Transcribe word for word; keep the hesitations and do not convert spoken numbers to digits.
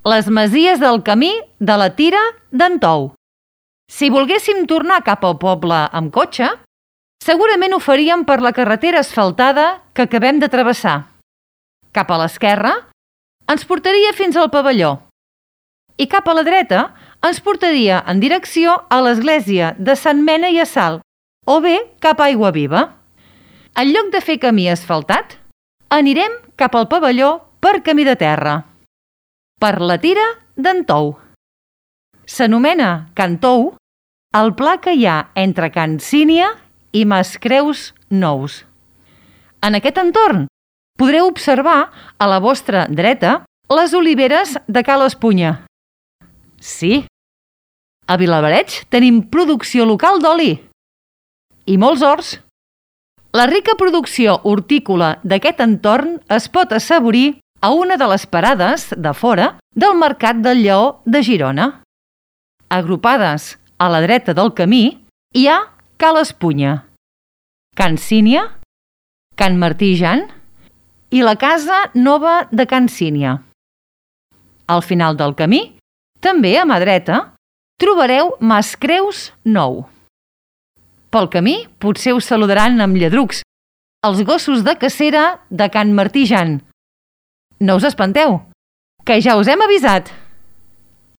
les masies del camí de la Tira d'en Tou. Si volguéssim tornar cap al poble amb cotxe, segurament ho faríem per la carretera asfaltada que acabem de travessar. Cap a l'esquerra ens portaria fins al pavelló i cap a la dreta ens portaria en direcció a l'església de Sant Mena i Assalt o bé cap a Aiguaviva. En lloc de fer camí asfaltat, anirem cap al pavelló per camí de terra, per la Tira d'en Tou. S'anomena Can Tou el pla que hi ha entre Can Sínia i Mascreus Nous. En aquest entorn podreu observar a la vostra dreta les oliveres de Ca l'Espunya. Sí, a Vilablareix tenim producció local d'oli i molts horts. La rica producció hortícola d'aquest entorn es pot assaborir a una de les parades de fora del Mercat del Lleó de Girona. Agrupades a la dreta del camí hi ha Ca l'Espunya, Can Sínia, Can Martí Jan i la Casa Nova de Can Sínia. Al final del camí, també a mà dreta, trobareu Mascreus Nou. Pel camí potser us saludaran amb lladrucs, els gossos de cacera de Can Martí Jan. No us espanteu, que ja us hem avisat!